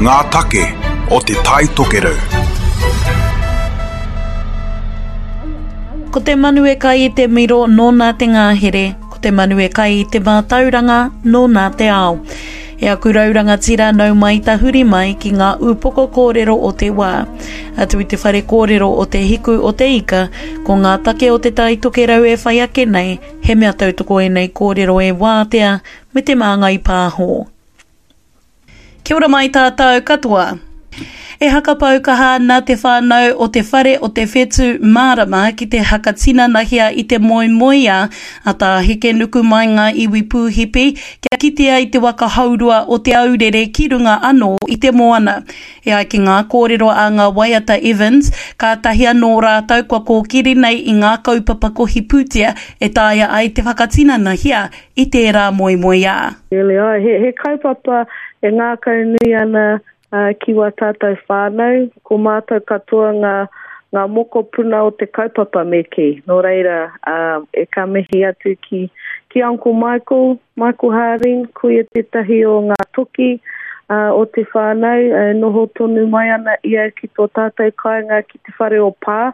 Ngā take o Te Tai Tokerau. Ko te manu e kai i te miro nōna te ngāhere, ko te manu e kai i te mātauranga nōna te ao. E aku rau rangatira nau mai tahuri mai ki ngā ūpoko kōrero o te wā. Atu i te whare kōrero o Te Hiku o Te Ika, ko ngā take o Te Tai Tokerau e whai ake nei, he mea tautoko ēnei kōrero e Wātea me Te Māngai Pāho. Kia ora mai tātou katoa. E hakapau kaha ana te whānau o Te Whare o te Whetū Mārama ki te hakatinanahia i te moemoeā a Tā Hekenuku mai ngā iwi pūhipi kia kitea i te waka hourua o Te Aurere ki runga anō i te moana. E ai ki ngā kōrero a ngā waiata Evans, kātahi anō rātou kua kōkiri nei i ngā kaupapa kohi pūtea e taea ai te whakatinanahia i tērā moemoeā. Really, āe, he, he kaupapa e ngākaunui ana ki wā tātou whānau, ko mātou katoa ngā, ngā mokopuna o te kaupapa me kī. Nō reira, e ka mihi atu ki, ki Uncle Michael, Michael Harding, ko ia tētahi o ngā toki o te whānau, e noho tonu mai ana ia ki tō tātou kāinga ki te whare o Pā.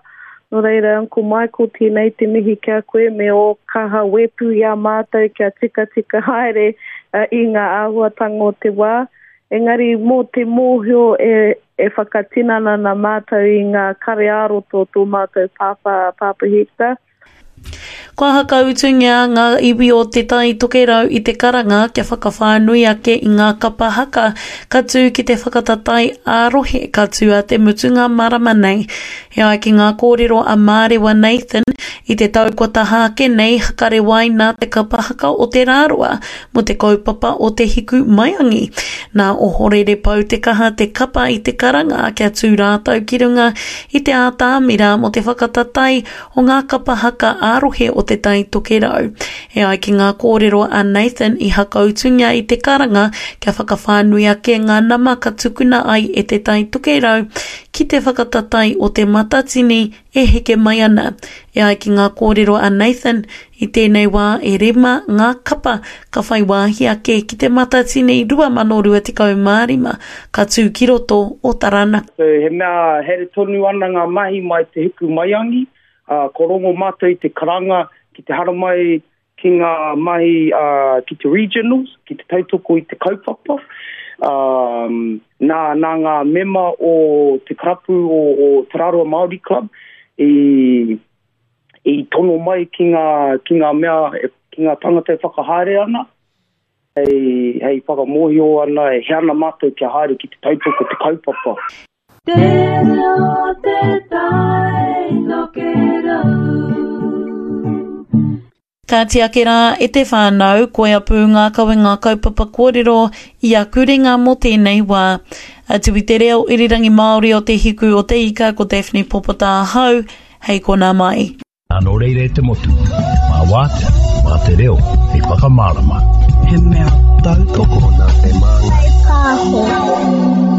Nō reira, Uncle Michael, tēnei te mihi ki a koe me ō kaha wepu i a mātou kia tikatika haere i ngā āhuatanga o te wā. Engari mō te mōhio e, e whakatinana ana mātou i ngā kare ā-roto o tō mātou pāpā, Pāpā Hector. Kua hakautungia ngā iwi o Te Tai Tokerau i te karanga kia whakawhānui ake i ngā kapa haka ka tū ki te whakatatae ā-rohe ka tū a te mutunga marama nei. E ai ki ngā kōrero a Mārewa Nathan, i te tau kua taha ake nei hakarewaina te kapa haka o Te Rāroa mō te kaupapa o Te Hiku Maiangi. Nā Ohorere Pou Te Kaha te kapa i te karanga kia tū rātou ki runga i te ātamira mō te whakatatae o ngā kapa haka ā-rohe o Te Tai Tokerau. E ai ki ngā kōrero a Nathan i hakautungia i te karanga kia whakawhānui ake ngā nama ka tukuna ai e Te Tai Tokerau ki te whakatatae o Te Matatini e heke mai ana. E ai ki ngā kōrero a Nathan, i tēnei wā e rima ngā kapa ka whai wāhi ake ki Te Matatini 2025 ka tū ki roto o Taranaki. So, he mea haere tonu ana ngā mahi mai Te Hiku Maiangi, ā, ko rongo mātou i te karanga ki te haramai ki ngā mahi ā, ki te regionals, ki te tautoko i te kaupapa. Ā, nā, nā ngā mema o te karapu o, o Te Rarawa Māori Club i, i tono mai ki ngā, ki ngā mea, ki ngā tangata e whakahaere ana, hei, hei whakamōhio ana, e he ana mātou kia haere ki te tautoko te kaupapa. Te reo te tai tokerau. Kāti ake rā e te whānau, koia pū ngā kawenga kaupapa kōrero i aku ringa mō tēnei wā. Atu i te reo irirangi Māori o Te Hiku o Te Ika ko Daphne Popota ahau, hei konā mai. Nō reira e te motu, mā Wātea, mā te reo hei whakamārama. He mea tautoko nā Te Māngai Pāho.